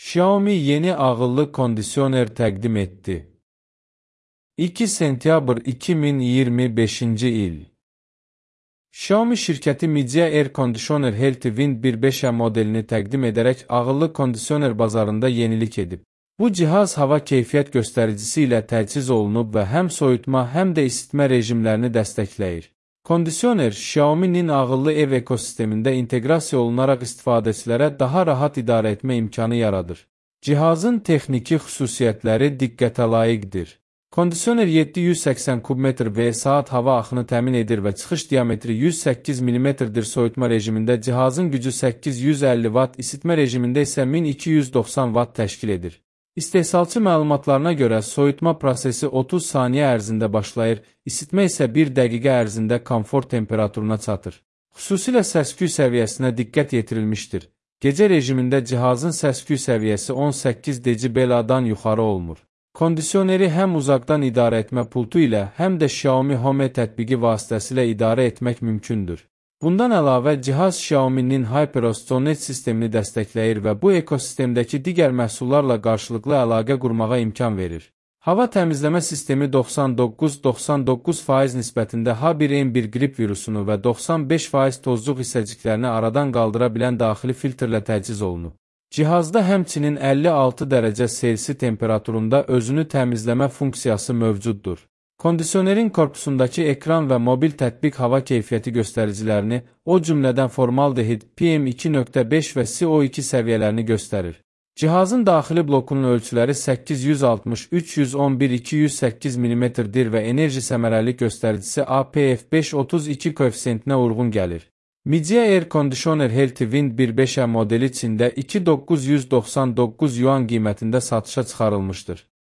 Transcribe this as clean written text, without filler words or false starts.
Xiaomi yeni ağıllı kondisioner təqdim etdi. 2 sentyabr 2025-ci il. Xiaomi şirkəti Midea Air Conditioner Healthy Wind 1.5 modelini təqdim edərək ağıllı kondisioner bazarında yenilik edib. Bu cihaz hava keyfiyyət göstəricisi ilə təchiz olunub və həm soyutma, həm də isitmə rejimlərini dəstəkləyir. Kondisioner, Xiaomi'nin ağıllı ev ekosistemində inteqrasiya olunaraq istifadəçilərə daha rahat idarə etmə imkanı yaradır. Cihazın texniki xüsusiyyətləri diqqətə layiqdir. Kondisioner 780 kubmetr və saat hava axını təmin edir və çıxış diametri 108 mm-dir. Soyutma rejimində cihazın gücü 850 Watt, isitmə rejimində isə 1290 Watt təşkil edir. İstehsalçı məlumatlarına görə soyutma prosesi 30 saniyə ərzində başlayır, isitmə isə 1 dəqiqə ərzində komfort temperaturuna çatır. Xüsusilə səs-küy səviyyəsinə diqqət yetirilmişdir. Gecə rejimində cihazın səs-küy səviyyəsi 18 dB-dan yuxarı olmur. Kondisioneri həm uzaqdan idarə etmə pultu ilə, həm də Xiaomi Home tətbiqi vasitəsilə idarə etmək mümkündür. Bundan əlavə, cihaz Xiaomi'nin HyperOS Connect sistemini dəstəkləyir və bu ekosistemdəki digər məhsullarla qarşılıqlı əlaqə qurmağa imkan verir. Hava təmizləmə sistemi 99% nisbətində H1N1 qrip virusunu və 95% tozluq hissəciklərini aradan qaldıra bilən daxili filtrlə təchiz olunub. Cihazda həmçinin 56 dərəcə Selsi temperaturunda özünü təmizləmə funksiyası mövcuddur. Kondisionerin korpusundakı ekran və mobil tətbiq hava keyfiyyəti göstəricilərini, o cümlədən formaldehid, PM2.5 və CO2 səviyyələrini göstərir. Cihazın daxili blokunun ölçüləri 860-311-208 mm-dir və enerji səmərəlilik göstəricisi APF532 koeffisiyentinə uyğun gəlir. Midea Air Conditioner Healthy Wind 1.5 modeli Çində 2999 yuan qiymətində satışa çıxarılmışdır.